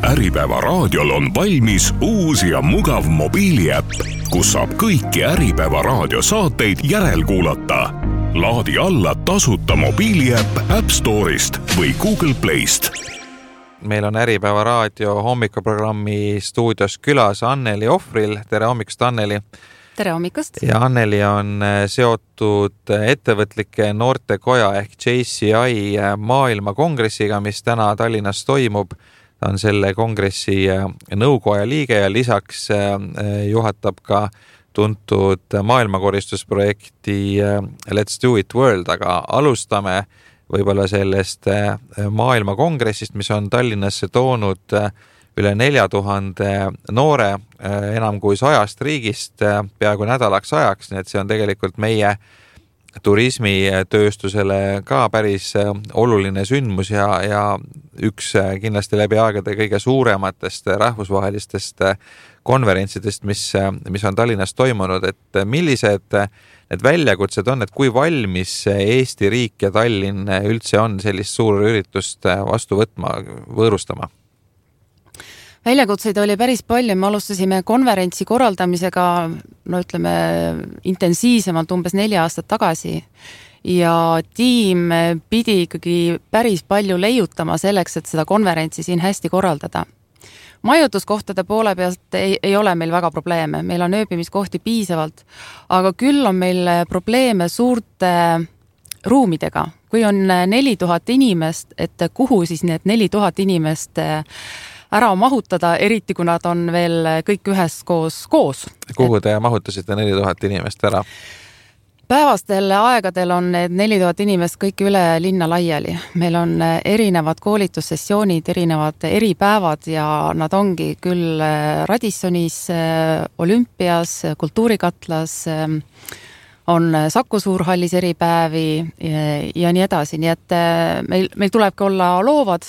Äripäeva raadiol on valmis uus ja mugav mobiiliäpp, kus saab kõiki Äripäeva raadio saateid järelkuulata. Laadi alla tasuta mobiiliäpp App Store'ist või Google Playst. Meil on Äripäeva raadio hommikuprogrammi stuudios külas Anneli Ohvril. Tere hommikust, Anneli! Tere hommikust! Ja Anneli on seotud ettevõtlike noortekoja ehk JCI maailmakongressiga, mis täna Tallinnas toimub. Ta on selle kongressi nõukoja liige ja lisaks juhatab ka tuntud maailmakoristusprojekti Let's Do It World, aga alustame võib-olla sellest maailmakongressist, mis on Tallinnasse toonud üle 4000 noore enam kui 100 riigist peaaegu nädalaks ajaks, nii et see on tegelikult meie turismitööstusele ka päris oluline sündmus ja üks kindlasti läbi aegade kõige suurematest rahvusvahelistest konverentsidest, mis on Tallinnas toimunud, et millised need väljakutsed on, et kui valmis Eesti riik ja Tallinn üldse on sellist suur üritust vastu võtma, võõrustama? Väljakutseid oli päris palju, me alustasime konverentsi korraldamisega, intensiivsemalt umbes 4 aastat tagasi ja tiim pidi ikkagi päris palju leiutama selleks, et seda konverentsi siin hästi korraldada. Majutuskohtade poole pealt ei ole meil väga probleeme, meil on ööbimiskohti piisavalt, aga küll on meil probleeme suurte ruumidega. Kui on 4000 inimest, et kuhu siis need 4000 inimest ära mahutada, eriti kui nad on veel kõik üheskoos koos. Kuhu te mahutasite 4000 inimest ära? Päevastel aegadel on need 4000 inimest kõik üle linna laiali. Meil on erinevad koolitussessioonid, erinevad eripäevad ja nad ongi küll Radissonis, Olümpias, Kultuurikatlas, on Saku Suurhallis eripäevi ja nii edasi. Nii et meil tulebki olla loovad.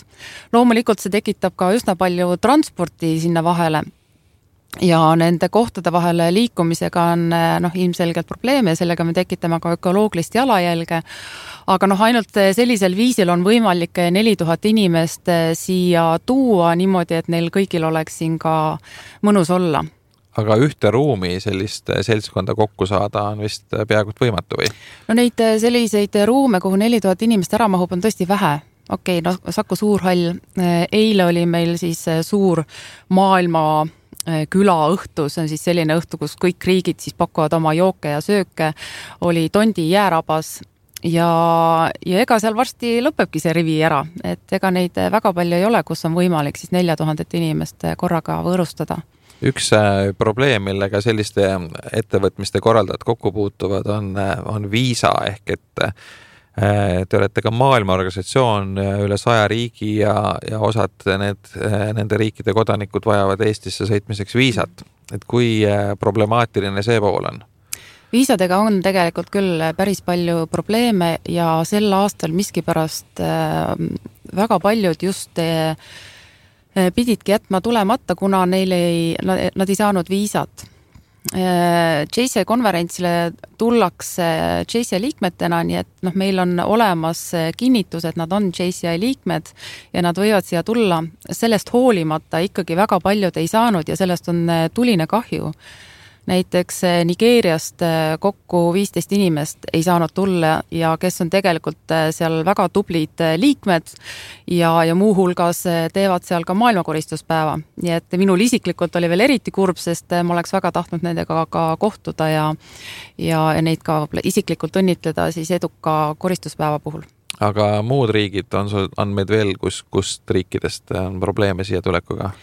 Loomulikult see tekitab ka üsna palju transporti sinna vahele ja nende kohtade vahele liikumisega on ilmselgelt probleeme ja sellega me tekitame ka ökolooglist jalajälge. Aga ainult sellisel viisil on võimalik 4000 inimest siia tuua niimoodi, et neil kõigil oleks siin ka mõnus olla. Aga ühte ruumi sellist seltskonda kokku saada on vist peaaegu võimatu või? Neid selliseid ruume, kuhu 4000 inimest ära mahub, on tõesti vähe. Saku Suurhall. Eile oli meil siis suur maailma külaõhtu, see on siis selline õhtu, kus kõik riigid siis pakuvad oma jooke ja sööke, oli Tondi jäärabas ja ega seal varsti lõpebki see rivi ära, et ega neid väga palju ei ole, kus on võimalik siis 4000 inimest korraga võõrustada. Üks probleem, millega selliste ettevõtmiste korraldajad kokku puutuvad, on viisa ehk et te olete ka maailmaorganisatsioon üle 100 riigi ja osad nende riikide kodanikud vajavad Eestisse sõitmiseks viisat. Et kui problemaatiline see pool on? Viisadega on tegelikult küll päris palju probleeme ja sel aastal miskipärast väga paljud just pididki jätma tulemata, kuna nad ei saanud viisat. JCI konverentsile tullakse JCI liikmetena, nii et meil on olemas kinnitus, et nad on JCI liikmed ja nad võivad siia tulla. Sellest hoolimata ikkagi väga paljud ei saanud ja sellest on tuline kahju. Näiteks Nigeeriast kokku 15 inimest ei saanud tulla ja kes on tegelikult seal väga tublid liikmed ja muu hulgas teevad seal ka maailmakoristuspäeva. Nii et minul isiklikult oli veel eriti kurb, sest ma oleks väga tahtnud nendega ka kohtuda ja neid ka isiklikult õnnitleda siis eduka koristuspäeva puhul. Aga muud riigid on meid veel, kust riikidest on probleeme siia tulekuga?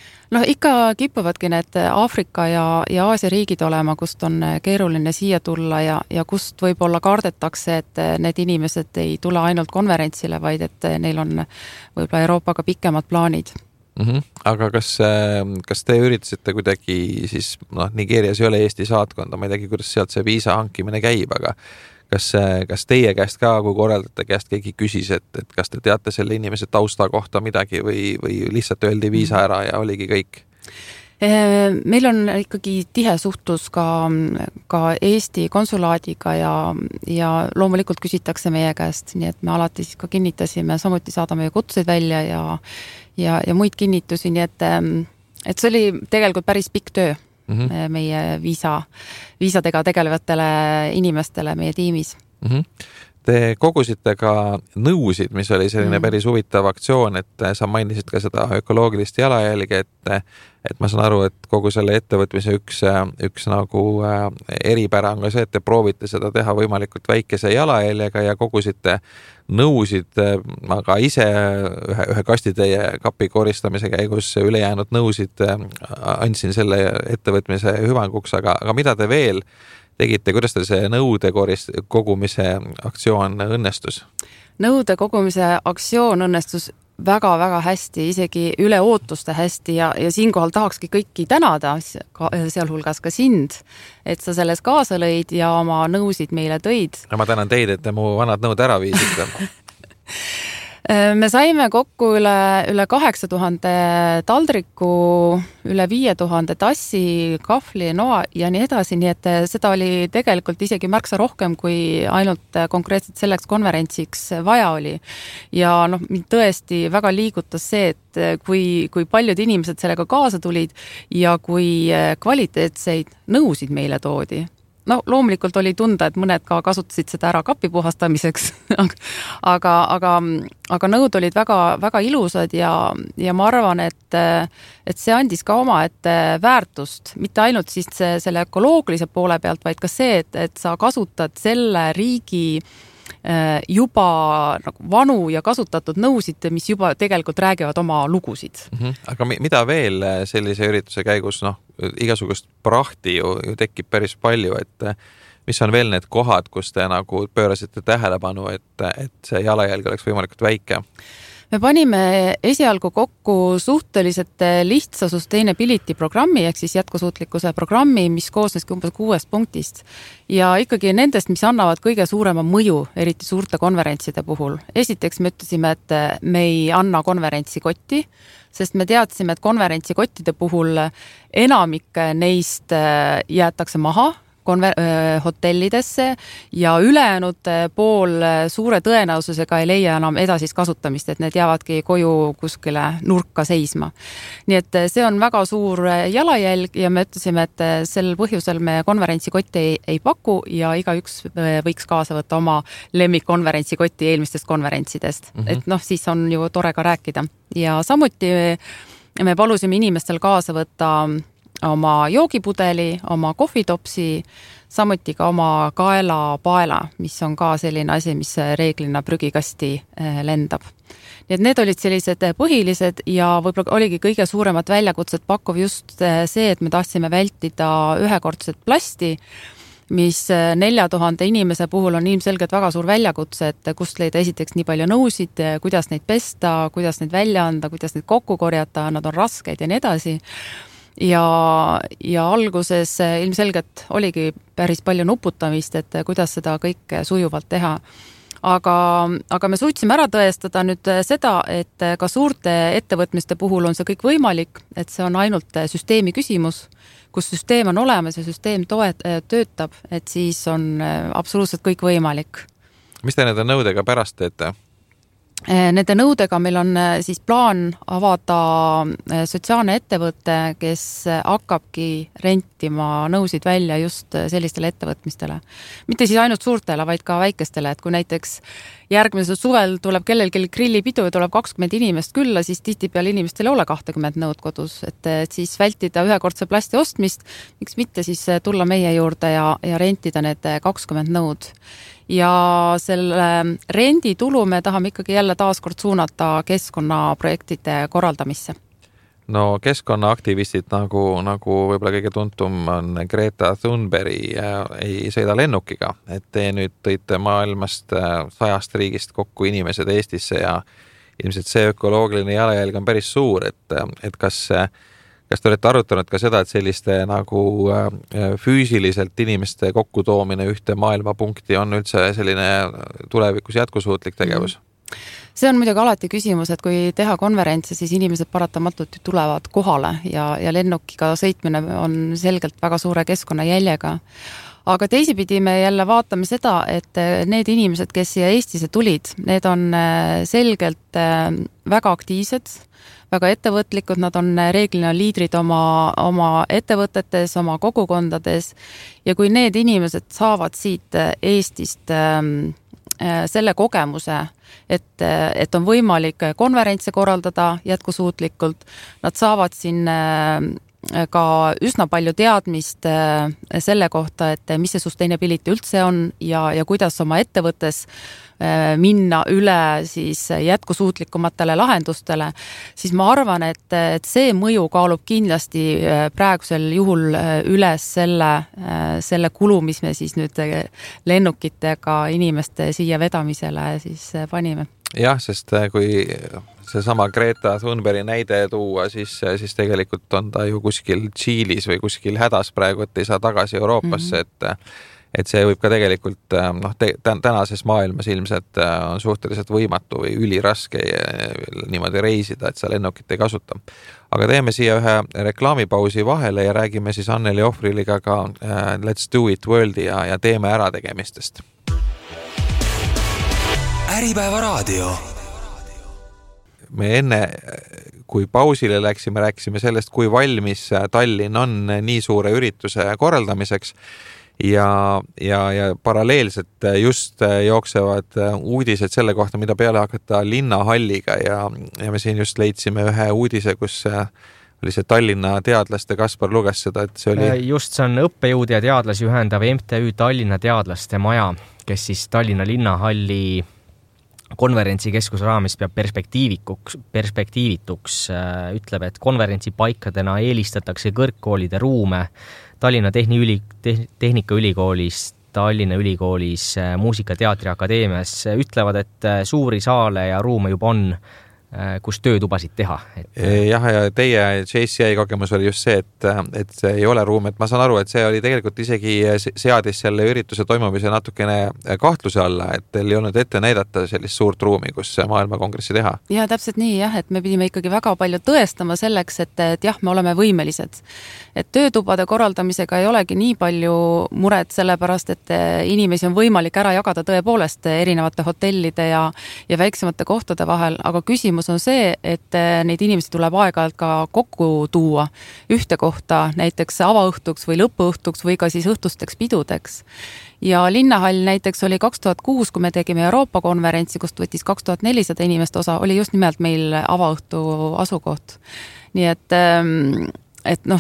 Ikka kipuvadki need Aafrika ja Aasia riigid olema, kust on keeruline siia tulla ja kust võib-olla kardetakse, et need inimesed ei tule ainult konverentsile, vaid et neil on võib-olla Euroopaga pikemad plaanid. Aga kas te üritasite kuidagi siis, Nigeerias ei ole Eesti saatkonda, ma ei teagi, kuidas sealt see viisa hankimine käib, aga kas teie käest ka, kui korraldate käest keegi küsis, et kas te teate selle inimese tausta kohta midagi või lihtsalt öeldi viisa ära ja oligi kõik? Meil on ikkagi tihe suhtlus ka Eesti konsulaadiga ja loomulikult küsitakse meie käest, nii et me alati siis ka kinnitasime, samuti saadame kutseid välja ja muid kinnitusi, nii et see oli tegelikult päris pikk töö meie viisadega tegelevatele inimestele meie tiimis. Te kogusite ka nõusid, mis oli selline päris huvitav aktsioon, et sa mainisid ka seda ökoloogilist jalajälge, et ma saan aru, et kogu selle ettevõtmise üks nagu eripära on ka see, et te proovite seda teha võimalikult väikese jalajäljega ja kogusite nõusid, aga ise ühe kastitäie kapi koristamise käigus ülejäänud nõusid andsin selle ettevõtmise hüvanguks, aga mida te veel tegite, kuidas teil see nõude kogumise aktsioon õnnestus? Nõude kogumise aktsioon õnnestus väga-väga hästi, isegi üle ootuste hästi ja siinkohal tahakski kõiki tänada, sealhulgas ka sind, et sa selles kaasa lõid ja oma nõusid meile tõid. No ma tänan teid, et te mu vanad nõud ära viisite. Me saime kokku üle 8000 taldriku, üle 5000 tassi, kahvli, noa ja nii edasi, nii et seda oli tegelikult isegi märksa rohkem, kui ainult konkreetselt selleks konverentsiks vaja oli. Ja mind tõesti väga liigutas see, et kui paljud inimesed sellega kaasa tulid ja kui kvaliteetseid nõusid meile toodi. Loomulikult oli tunda, et mõned ka kasutasid seda ära kapi puhastamiseks, aga nõud olid väga, väga ilusad ja ma arvan, et see andis ka omaette väärtust, mitte ainult siis selle ökoloogilise poole pealt, vaid ka see, et sa kasutad selle riigi juba nagu vanu ja kasutatud nõusid, mis juba tegelikult räägivad oma lugusid. Aga mida veel sellise ürituse käigus, igasugust prahti ju tekib päris palju, et mis on veel need kohad, kus te nagu pöörasite tähelepanu, et see jalajälg oleks võimalikult väike? Me panime esialgu kokku suhteliselt lihtsa sustainability programmi, ehk siis jätkusuutlikkuse programmi, mis koosneski umbes 6 punktist. Ja ikkagi nendest, mis annavad kõige suurema mõju, eriti suurte konverentside puhul. Esiteks me ütlesime, et me ei anna konverentsi kotti, sest me teadsime, et konverentsi kottide puhul enamik neist jäetakse maha hotellidesse ja ülejäänud pool suure tõenäosusega ei leia enam edasist kasutamist, et need jäävadki koju kuskile nurka seisma. Nii et see on väga suur jalajälg ja me ütlesime, et sel põhjusel me konverentsikotti ei paku ja igaüks võiks kaasa võtta oma lemmikkonverentsikotti eelmistest konverentsidest. Et siis on ju tore ka rääkida. Ja samuti me palusime inimestel kaasa võtta oma joogipudeli, oma kohvitopsi, samuti ka oma kaelapaela, mis on ka selline asi, mis reeglina prügikasti lendab. Nii et need olid sellised põhilised ja võib-olla oligi kõige suuremat väljakutset pakkuv just see, et me tahtsime vältida ühekordset plasti, mis 4000 inimese puhul on ilmselgelt väga suur väljakutse, et kust leida esiteks nii palju nõusid, kuidas neid pesta, kuidas neid välja anda, kuidas neid kokku korjata, nad on rasked ja nii edasi. Ja alguses ilmselgelt oligi päris palju nuputamist, et kuidas seda kõike sujuvalt teha. Aga me suutsime ära tõestada nüüd seda, et ka suurte ettevõtmiste puhul on see kõik võimalik, et see on ainult süsteemi küsimus, kus süsteem on olemas ja süsteem töötab, et siis on absoluutselt kõik võimalik. Mis te nende nõudega pärast teete? Nende nõudega meil on siis plaan avada sotsiaalne ettevõte, kes hakkabki rentima nõusid välja just sellistele ettevõtmistele. Mitte siis ainult suurtele, vaid ka väikestele, et kui näiteks järgmisel suvel tuleb kellelgi grillipidu ja tuleb 20 inimest külla, siis tihtipeale inimestel ei ole 20 nõud kodus, et siis vältida ühekordse plasti ostmist, miks mitte siis tulla meie juurde ja rentida need 20 nõud. Ja selle renditulu me tahame ikkagi jälle taaskord suunata keskkonnaprojektide korraldamisse. No keskkonnaaktivistid nagu võib-olla kõige tuntum on Greta Thunberg ei sõida lennukiga, et te nüüd tõite maailmast 100 riigist kokku inimesed Eestisse ja ilmselt see ökoloogiline jalajälg on päris suur, et kas te olete arutanud ka seda, et selliste nagu füüsiliselt inimeste kokkutoomine ühte maailmapunkti on üldse selline tulevikus jätkusuutlik tegevus? See on muidugi alati küsimus, et kui teha konverentse, siis inimesed paratamatult tulevad kohale ja lennukiga sõitmine on selgelt väga suure keskkonnajäljega. Aga teisipidi me jälle vaatame seda, et need inimesed, kes siia Eestisse tulid, need on selgelt väga aktiivsed, väga ettevõtlikud, nad on reeglina liidrid oma ettevõtetes, oma kogukondades ja kui need inimesed saavad siit Eestist selle kogemuse, et on võimalik konverentse korraldada jätkusuutlikult, nad saavad siin ka üsna palju teadmist selle kohta, et mis see sustainability üldse on ja kuidas oma ettevõttes minna üle siis jätkusuutlikumatele lahendustele, siis ma arvan, et see mõju kaalub kindlasti praegusel juhul üles selle kulu, mis me siis nüüd lennukitega inimeste siia vedamisele siis panime. Jah, sest kui seesama Greta Thunbergi näide tuua, siis tegelikult on ta ju kuskil Tšiilis või kuskil hädas praegu, et ei saa tagasi Euroopasse, et see võib ka tegelikult tänases maailmas ilmselt on suhteliselt võimatu või üliraske niimoodi reisida, et sa lennukit ei kasuta. Aga teeme siia ühe reklaamipausi vahele ja räägime siis Anneli Ohvriliga ka Let's Do It Worldi ja teeme ärategemistest. Äripäeva raadio. Me enne, kui pausile läksime, rääkisime sellest, kui valmis Tallinn on nii suure ürituse korraldamiseks ja paralleelselt just jooksevad uudised selle kohta, mida peale hakata linnahalliga ja me siin just leidsime ühe uudise, kus oli see Tallinna teadlaste, Kaspar luges seda, et see oli... Just see on õppejõud ja teadlasi ühendav MTÜ Tallinna teadlaste maja, kes siis Tallinna linnahalli konverentsikeskuse raames peab perspektiivituks, ütleb, et konverentsipaikadena eelistatakse kõrgkoolide ruume Tallinna Tehnikaülikoolis, Tallinna Ülikoolis, Muusika-teatriakadeemias, ütlevad, et suuri saale ja ruume juba on, kus töötubasid teha. Jah, ja teie JCI kogemus oli just see, et see ei ole ruum, et ma saan aru, et see oli tegelikult isegi seadis selle ürituse toimumise natukene kahtluse alla, et teil ei olnud ette näidata sellist suurt ruumi, kus maailmakongressi teha. Ja täpselt nii, jah, et me pidime ikkagi väga palju tõestama selleks, et jah, me oleme võimelised. Et töötubade korraldamisega ei olegi nii palju muret sellepärast, et inimesi on võimalik ära jagada tõepoolest erinevate hotellide ja väiksemate kohtade vahel, aga küsimus on see, et neid inimesi tuleb aeg-ajalt ka kokku tuua ühte kohta, näiteks avaõhtuks või lõpuõhtuks või ka siis õhtusteks pidudeks. Ja linnahall näiteks oli 2006, kui me tegime Euroopa konverentsi, kust võttis 2400 inimest osa, oli just nimelt meil avaõhtu asukoht. Nii et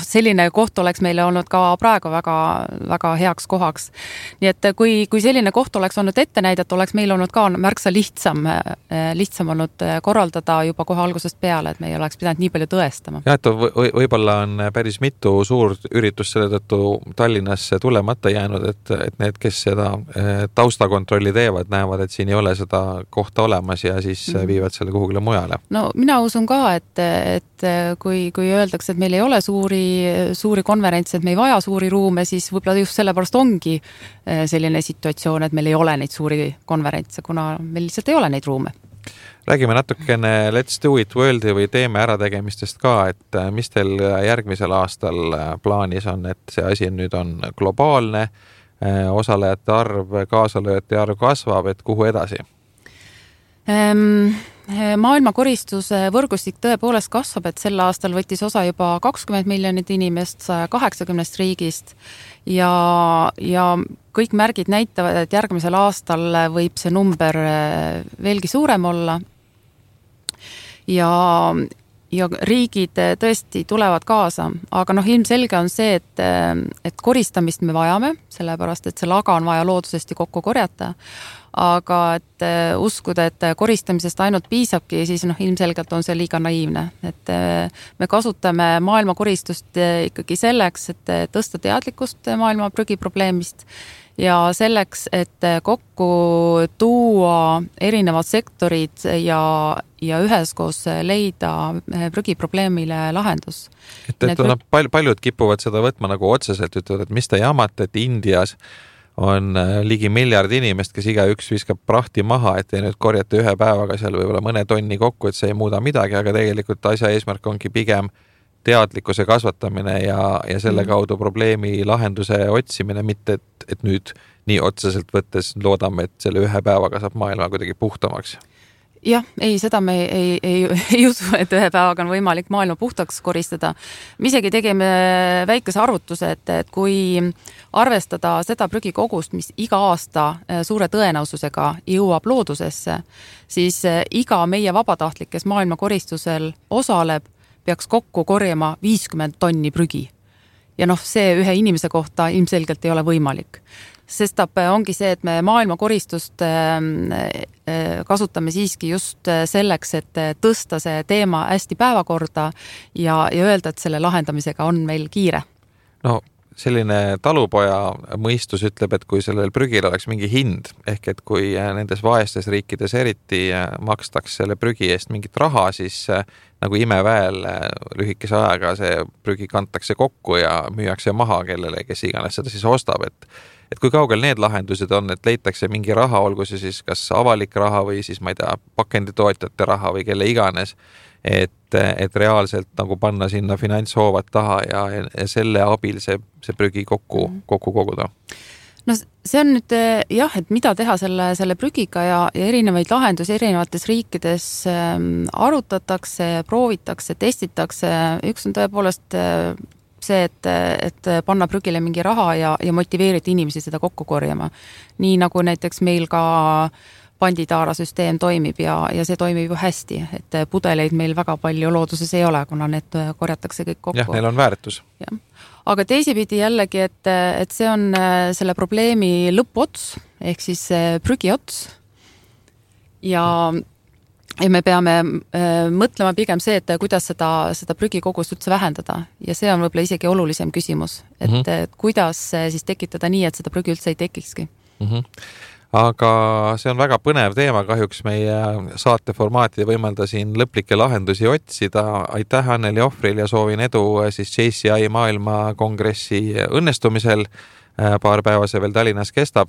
selline koht oleks meile olnud ka praegu väga, väga heaks kohaks. Nii et kui selline koht oleks olnud ette näidat, oleks meil olnud ka märksa lihtsam olnud korraldada juba kohe algusest peale, et me ei oleks pidanud nii palju tõestama. Ja, et võib-olla on päris mitu suurt üritust selle tõttu Tallinnasse tulemata jäänud, et need, kes seda taustakontrolli teevad, näevad, et siin ei ole seda kohta olemas ja siis viivad selle kuhugile mujale. No mina usun ka, et kui öeldakse, et meil ei ole suuri konverentse, et me ei vaja suuri ruume, siis võib-olla just sellepärast ongi selline situatsioon, et meil ei ole neid suuri konverentse, kuna meil lihtsalt ei ole neid ruume. Räägime natukene Let's Do It Worldi või teeme ärategemistest ka, et mis teil järgmisel aastal plaanis on, et see asi nüüd on globaalne, osalejate arv, kaasalööjate arv kasvab, et kuhu edasi? Maailmakoristuse võrgustik tõepoolest kasvab, et sel aastal võttis osa juba 20 miljonit inimest 180 riigist ja kõik märgid näitavad, et järgmisel aastal võib see number veelgi suurem olla ja riigid tõesti tulevad kaasa, aga ilmselge on see, et koristamist me vajame, sellepärast et see laga on vaja loodusesti kokku korjata, aga et uskuda, et koristamisest ainult piisabki, siis ilmselgelt on see liiga naiivne. Et me kasutame maailmakoristust ikkagi selleks, et tõsta teadlikkust maailma prügiprobleemist ja selleks, et kokku tuua erinevad sektorid ja üheskoos leida prügiprobleemile lahendus. Paljud kipuvad seda võtma nagu otseselt, ütlevad, et mis te jamate, et Indias on ligi 1 miljard inimest, kes igaüks viskab prahti maha, et ei nüüd korjata ühe päevaga seal võib-olla mõne tonni kokku, et see ei muuda midagi, aga tegelikult asja eesmärk ongi pigem teadlikkuse kasvatamine ja selle kaudu probleemi lahenduse otsimine, mitte et nüüd nii otseselt võttes loodame, et selle ühe päevaga saab maailma kuidagi puhtamaks. Jah, ei, seda me ei usu, et ühe päevaga on võimalik maailma puhtaks koristada. Me isegi tegime väikese arvutuse, et kui arvestada seda prügikogust, mis iga aasta suure tõenäosusega jõuab loodusesse, siis iga meie vabatahtlik, kes maailma koristusel osaleb, peaks kokku korjama 50 tonni prügi. Ja see ühe inimese kohta ilmselgelt ei ole võimalik. Sestap ongi see, et me maailma koristust kasutame siiski just selleks, et tõsta see teema hästi päevakorda ja öelda, et selle lahendamisega on meil kiire. No selline talupoja mõistus ütleb, et kui sellel prügil oleks mingi hind, ehk et kui nendes vaestes riikides eriti makstaks selle prügi eest mingit raha, siis nagu imeväel lühikese ajaga see prügi kantakse kokku ja müüakse maha kellele, kes iganes seda siis ostab, et kui kaugel need lahendused on, et leitakse mingi raha, olgu see siis kas avalik raha või siis, ma ei tea, pakenditootjate raha või kelle iganes, et reaalselt nagu panna sinna finantshoovad taha ja selle abil see prügi kokku koguda. No see on nüüd jah, et mida teha selle prügiga ja erinevaid lahendusi erinevates riikides arutatakse, proovitakse, testitakse. Üks on tõepoolest see, et panna prügile mingi raha ja motiveerida inimesi seda kokku korjama. Nii nagu näiteks meil ka panditaarasüsteem toimib ja see toimib ju hästi, et pudeleid meil väga palju looduses ei ole, kuna need korjatakse kõik kokku. Jah, neil on väärtus. Ja. Aga teisipidi jällegi, et see on selle probleemi lõpuots, ehk siis prügiots ja me peame mõtlema pigem see, et kuidas seda prügikogust üldse vähendada ja see on võib-olla isegi olulisem küsimus, et kuidas siis tekitada nii, et seda prügi üldse ei tekikski. Aga see on väga põnev teema, kahjuks meie saateformaatide võimalda siin lõplikke lahendusi otsida. Aitäh Anneli Ohvril ja soovin edu siis JCI maailma kongressi õnnestumisel. Paar päeva see veel Tallinnas kestab.